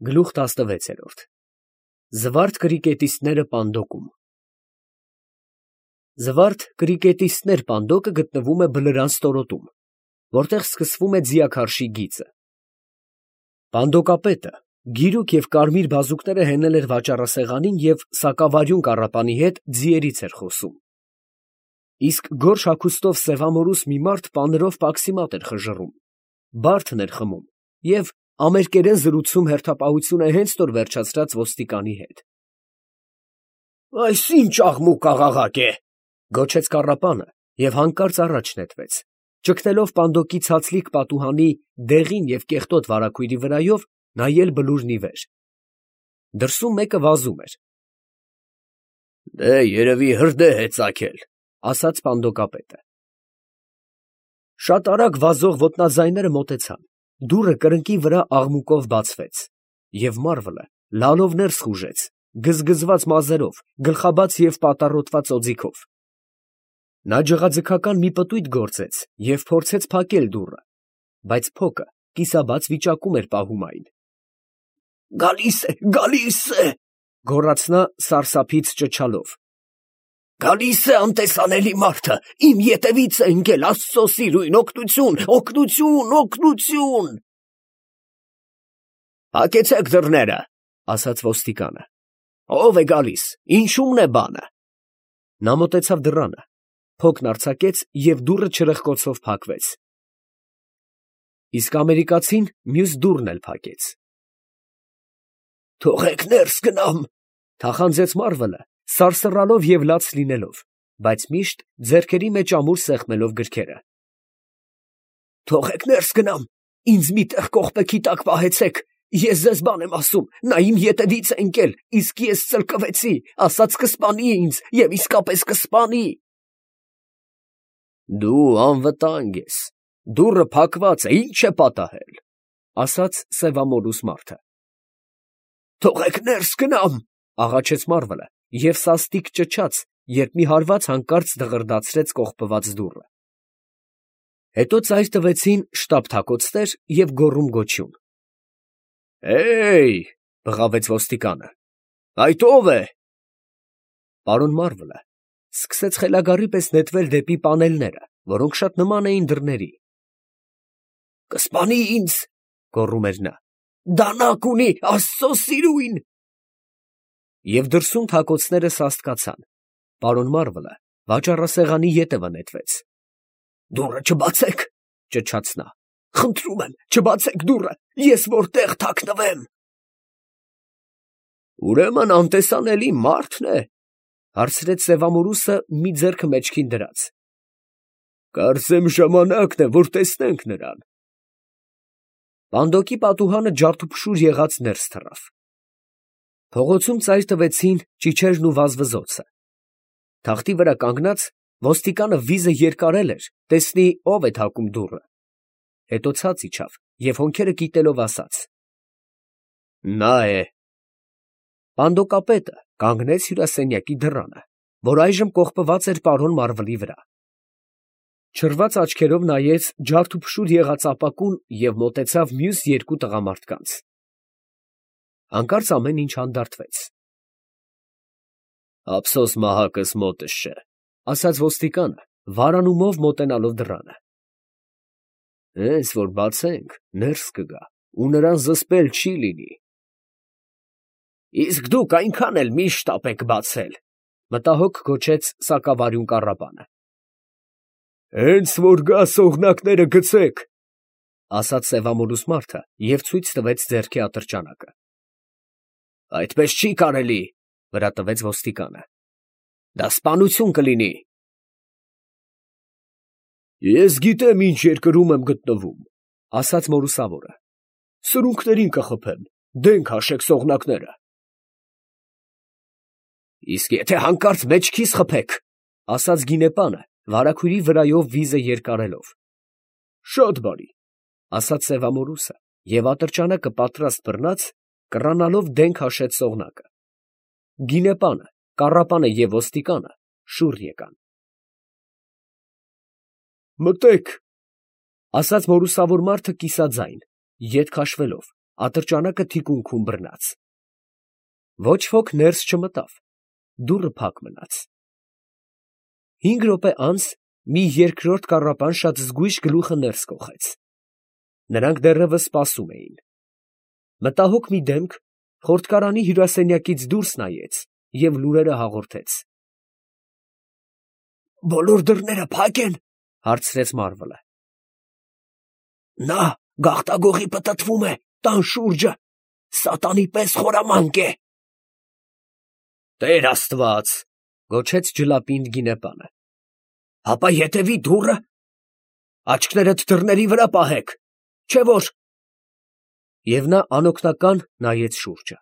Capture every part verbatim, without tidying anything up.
Գլուխ տասնվեցերորդ Զվարթ կրիկետիստները Պանդոկում Զվարթ կրիկետիստներ Պանդոկը գտնվում է Բլրան ստորոտում, որտեղ սկսվում է ձիաքարշի գիծը։ Պանդոկապետը գիրուկ և կարմիր բազուկները հենել էր վաճառասեղանին և սակավարյուն կառապանի հետ ձիերից էր խոսում։ Իսկ գորշ հագուստով սևամորուս մի մարդ պանրով պաքսիմատ էր խժռում, բարդն էր խմում և ամերկերեն զրուցում հերթապահությունը հենց նոր վերջացրած ոստիկանի հետ։ ֊ Այս ի՞նչ աղմուկ աղաղակ է, ֊ գոչեց կառապանը և հանկարծ առաջ նետվեց, ճգնելով Պանդոկի ցածլիկ պատուհանի դեղին և կեղտոտ վարագույրի վրայով նայել բլուրն ի վեր։ Դրսում մեկը վազում էր։ ֊ Երևի հրդեհ է ծագել, ֊ ասաց Պանդոկապետը։ Շատ արագ վազող ոտնաձայները մոտեցան, դուռը կրկնակի վրա աղմուկով բացվեց, և մարվլը լալով ներս խուժեց, գզգզված մազերով, գլխաբաց և պատառոտված օձիքով։ Նա ջղաձգական մի պտույտ գործեց և փորձեց փակել դուռը, բայց փոկը կիսաբաց վիճակում էր պահում այն։ ֊ Գալի՛ս է, գալի՛ս է, ֊ գոռաց նա սարսափից ճչալով։ ֊ Գալի՛ս է անտեսանելի մարդը, իմ ետևից է ընկել, աստծո սիրուն, օգնություն, օգնություն, օգնություն… ֊ Փակեցեք դռները, ֊ ասաց ոստիկանը։ ֊ Ո՞վ է գալիս, ինչու՞մն է բանը։ Նա մոտեցավ դռանը, փոկն արձակեց և դուռը չրպկոցով փակվեց։ Իսկ ամերիկացին մյուս դուռն էլ փակեց։ ֊ Թողեք ներս գնամ, ֊ թախանձեց մարվլը, սարսռալով և լաց լինելով, բայց միշտ ձեռքերի մեջ ամուր սեղմելով գրքերը։ ֊ Թողեք ներս գնամ, ինձ մի տեղ կողպեքի տակ պահեցեք, ես ձեզ բան եմ ասում, նա իմ ետևից է ընկել, իսկ ես ծլկվեցի, ասաց կսպանի ինձ և իսկապես կսպանի… ֊ Դու անվտանգ ես, դուռը փակված է, ի՞նչ է պատահել, ֊ ասաց սևամորուս մարդը։ ֊ Թողեք ներս գնամ, ֊ աղաչեց մարվլը և սաստիկ ճչաց, երբ մի հարված հանկարծ դղրդացրեց կողպված դուռը։ Հետո ծայր տվեցին շտապ֊թակոցներ և գոռում֊գոչյուն։ ֊ Հե՜յ, ֊ բղավեց ոստիկանը, ֊ այդ ո՞վ է։ Պարոն մարվլը սկսեց խելագարի պես նետվել դեպի պանելները, որոնք շատ նման էին դռների։ ֊ Կսպանի ինձ, ֊ գոռում էր նա, ֊ դանակ ունի, աստծո սիրուն… Եվ դրսում թակոցները սաստկացան, պարոն մարվլը վաճառասեղանի ետևը նետվեց։ ֊ Դուռը չբացեք, ֊ ճչաց նա, ֊ խնդրում եմ, չբացեք դուռը, ես որտեղ թաքնվեմ… ֊ Ուրեմն անտեսանելի մա՞րդն է, ֊ հարցրեց սևամորուսը մի ձեռքը մեջքին դրած։ ֊ Կարծեմ ժամանակն է, որ տեսնենք նրան… Պանդոկի պատուհանը ջարդուփշուր եղած ներս թռավ։ Փողոցում ծայր տվեցին ճիչերն ու վազվզոցը։ Թախտի վրա կանգնած ոստիկանը վիզը երկարել էր, տեսնի ով է թակում դուռը, հետո ցած իջավ և հոնքերը կիտելով ասաց. ֊ Նա է… Պանդոկապետը կանգնեց հյուրասենյակի դռանը, որ այժմ կողպված էր պարոն մարվլի վրա, չռված աչքերով նայեց ջարդուփշուր եղած ապակուն և մոտեցավ մյուս երկու տղամարդկանց։ Հանկարծ ամեն ինչ հանդարտվեց։ ֊ Ափսոս մահակս մոտս չէ, ֊ ասաց ոստիկանը, վարանումով մոտենալով դռանը։ ֊ Հենց որ բացենք, ներս կգա ու նրան զսպել չի լինի… ֊ Իսկ դուք այնքան էլ մի շտապեք բացել, ֊ մտահոգ գոչեց սակավարյուն կառապանը։ ֊ Հենց որ գա, սողնակները գցեք, ֊ ասաց սևամորուս մարդը և ցույց տվեց ձեռքի ատրճանակը։ ֊ Այդպես չի կարելի, ֊ վրա տվեց ոստիկանը, ֊ դա սպանություն կլինի… ֊ Ես գիտեմ ինչ երկրում եմ գտնվում, ֊ ասաց մորուսավորը, ֊ սրունքներին կխփեմ, դեն քաշեք սողնակները… ֊ Իսկ եթե հանկարծ մեջքիս խփեք, ֊ ասաց գինեպանը, վարագույրի վրայով վիզը երկարելով։ ֊ Շատ բարի, ֊ ասաց սևամորուսը և ատրճանակը պատրաստ բռնած, կռանալով դեն քաշեց սողնակը։ Գինեպանը, կառապանը և ոստիկանը շուռ եկան։ ֊ Մտե՛ք, ֊ ասաց մորուսավոր մարդը կիսաձայն, ետ քաշվելով, Ատրճանակը թիկունքում բռնած։ Ոչ ոք ներս չմտավ, դուռը փակ մնաց։ Հինգ րոպե անց մի երկրորդ կառապան շատ զգույշ գլուխը ներս կոխեց։ Նրանք դեռևս սպասում էին։ Մտահոգ մի դեմք խորտկարանի հյուրասենյակից դուրս նայեց և լուրերը հաղորդեց։ ֊ Բոլոր դռները փակ են, ֊ հարցրեց մարվլը։ ֊ Նա գաղտագողի պտտվում է տան շուրջը, սատանի պես խորամանկ է։ ֊ Տեր աստված, ֊ գոչեց ջլապինդ գինեպանը, ֊ հապա ետևի դուռը, աչքներդ դռների վրա պահեք, չէ՞ որ… Եվ նա անօգնական նայեց շուրջը։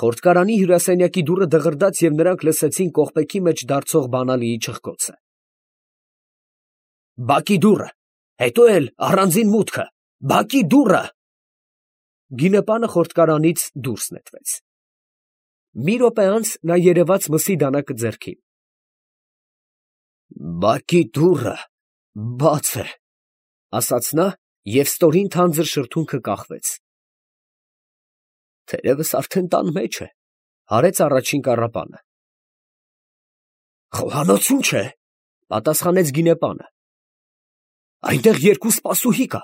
Խորտկարանի հյուրասենյակի դուռը դղրդաց, և նրանք լսեցին կողպեքի մեջ դարձող բանալիի չխկոցը։ ֊ Բակի դուռը, հետո էլ առանձին մուտքը, բակի դուռը… Գինեպանը խորտկարանից դուրս նետվեց։ Մի րոպե անց նա երևաց մսի դանակը ձեռքին։ ֊ Բակի դուռը բաց է, ֊ ասաց նա, և ստորին թանձր շրթունքը կախվեց։ ֊ Թերևս արդեն տան մեջ է, ֊ հարեց առաջին կառապանը։ ֊ Խոհանոցում չէ, ֊ պատասխանեց գինեպանը։ ֊ Այնտեղ երկու սպասուհի կա,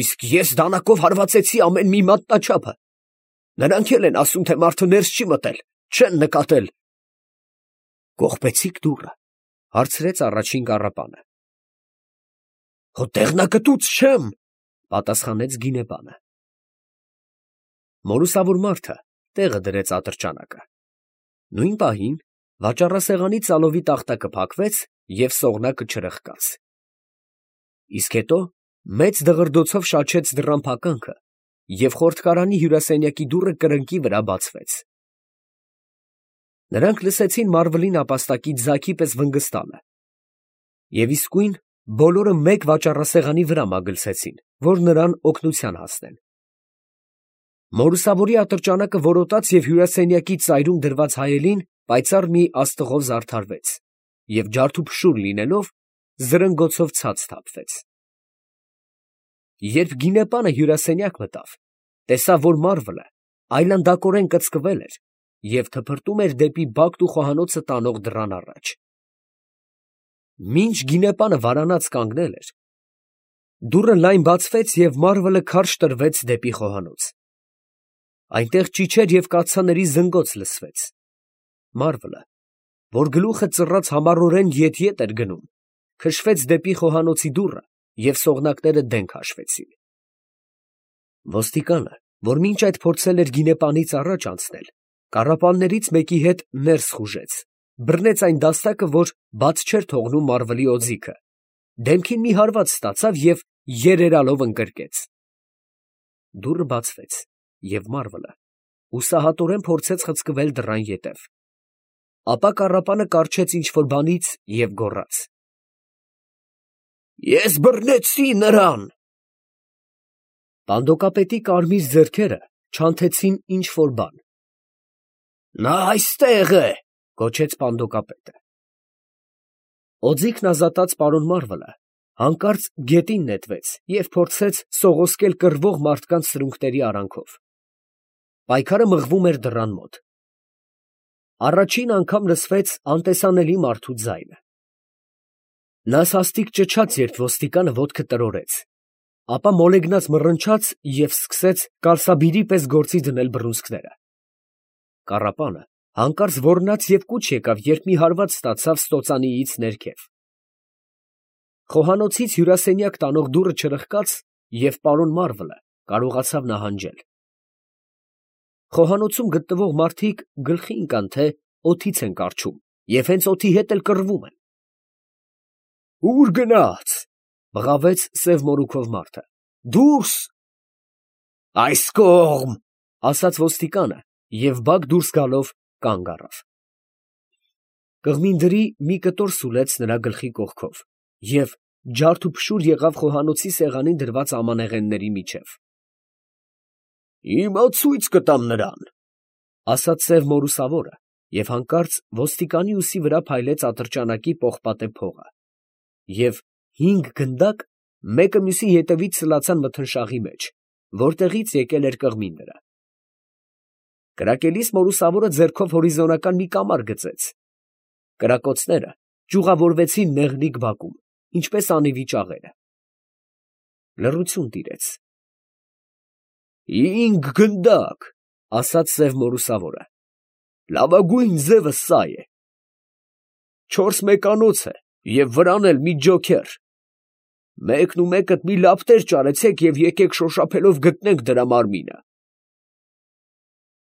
իսկ ես դանակով հարվածեցի ամեն մի մատնաչափը. նրանք էլ են ասում, թե մարդը ներս չի մտել, չեն նկատել։ ֊ Կողպեցի՞ք դուռը, ֊ հարցրեց առաջին կառապանը։ ֊ Հո տեղնակտուց չեմ, ֊ պատասխանեց գինեպանը։ Մորուսավոր մարդը տեղը դրեց ատրճանակը։ Նույն պահին վաճառասեղանի ծալովի տախտակը փակվեց և սողնակը չրխկաց։ Իսկ հետո մեծ դղրդոցով շաչեց դռան փականքը, և խորտկարանի հյուրասենյակի դուռը կրկնակի վրա բացվեց։ Նրանք լսեցին մարվլի նապաստակի ձագի պես վնգստալը, և իսկույն բոլորը մեկ վաճառասեղանի վրա մագլցեցին, որ նրան օգնության հասնեն։ Մորուսավորի ատրճանակը որոտաց և հյուրասենյակի ծայրում դրված հայելին պայծառ մի աստղով զարդարվեց և ջարդուփշուր լինելով զրնգոցով ցած թափվեց։ Երբ գինեպանը հյուրասենյակ մտավ, տեսավ, որ մարվլը այլանդակորեն կծկվել էր և թփրտում էր դեպի բակն ու խոհանոցը տանող դռան առաջ։ Մինչ գինեպանը վարանած կանգնել էր, դուռը լայն բացվեց, և մարվլը քարշ տրվեց դեպի խոհանոց։ Այնտեղ ճիչեր և կաթսաների զնգոց լսվեց։ Մարվլը, որ գլուխը ծռած համառորեն ետ֊ետ էր գնում, քշվեց դեպի խոհանոցի դուռը, և սողնակները դեն քաշվեցին։ Ոստիկանը, որ մինչ այդ փորձել էր գինեպանից առաջ անցնել, կառապաններից մեկի հետ ներս խուժեց, բռնեց այն դաստակը, որ բաց չէր թողնում մարվլի օձիքը, դեմքին մի հարված ստացավ և երերալով ընկրկեց։ Դուռը բացվեց, և մարվլը հուսահատորեն փորձեց խցկվել դռան ետև։ Ապա կառապանը կառչեց ինչ֊որ բանից և գոռաց. Ես բռնեցի նրան… Պանդոկապետի կարմիր ձեռքերը չանթեցին ինչ֊որ բան։ Նա այստեղ է, ֊ գոչեց պանդոկապետը։ Օձիքն ազատած պարոն Մարվլը հանկարծ գետին նետվեց և փորձեց սողոսկել կռվող մարդկանց սրունքների արանքով։ Պայքարը մղվում էր դռան մոտ։ Առաջին անգամ լսվեց անտեսանելի մարդու ձայնը։ Նա սաստիկ ճչաց, երբ ոստիկանը ոտքը տրորեց, ապա մոլեգնած մռնչաց և սկսեց կալսաբիրի պես գործի դնել բռունցքները։ Կառապանը հանկարծ ոռնաց և կուչ եկավ, երբ մի հարված ստացավ ստոծանիից ներքև։ Խոհանոցից հյուրասենյակ տանող դուռը չրխկաց, և պարոն Մարվլը կարողացավ նահանջել։ Խոհանոցում գտնվող մարդիկ գլխի ընկան, թե օդից են կառչում և հենց օդի հետ էլ կռվում են։ ֊ Ո՞ւր գնաց, ֊ բղավեց սև մորուքով մարդը։ ֊ Դուրս… ֊ Այս կողմ, ֊ ասաց ոստիկանը և բակ դուրս գալով կանգ առավ։ Կղմինդրի մի կտոր սուլեց նրա գլխի կողքով և ջարդուփշուր եղավ խոհանոցի սեղանին դրված ամանեղենների միջև։ ֊ Հիմա ցույց կտամ նրան, ֊ ասաց սև մորուսավորը և հանկարծ ոստիկանի ուսի վրա փայլեց ատրճանակի պողպատե փողը, և հինգ գնդակ մեկը մյուսի ետևից սլացան մթնշաղի մեջ, որտեղից եկել էր կղմին նրա։ Կրակելիս մորուսավորը ձեռքով հորիզոնական մի կամար գծեց։ Կրակոցները ճյուղավորվեցին նեղլիկ բակում, ինչպես անիվի ճաղերը։ Լռություն տիրեց։ «Հինգ գնդակ, ֊ ասաց սև մորուսավորը, ֊ լավագույն ձևը սա է. չորս մեկանոց է և վրան էլ մի ջոքեր. մեկն ու մեկդ մի լապտեր ճարեցեք և եկեք շոշափելով գտնենք դրա մարմինը»։